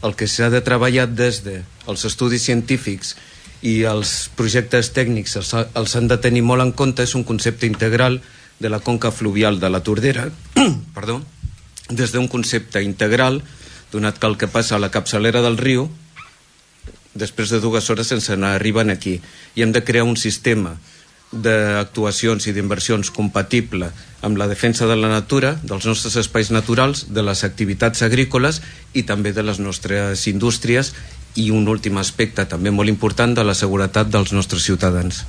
el que s'ha de treballar des dels estudis científics i els projectes tècnics els han de tenir molt en compte és un concepte integral de la conca fluvial de la Tordera, perdó, des d'un concepte integral, donat que el que passa a la capçalera del riu, després de 2 hores sense anar, arriben aquí. I hem de crear un sistema d'actuacions i d'inversions compatible amb la defensa de la natura, dels nostres espais naturals, de les activitats agrícoles i també de les nostres indústries i un últim aspecte també molt important de la seguretat dels nostres ciutadans.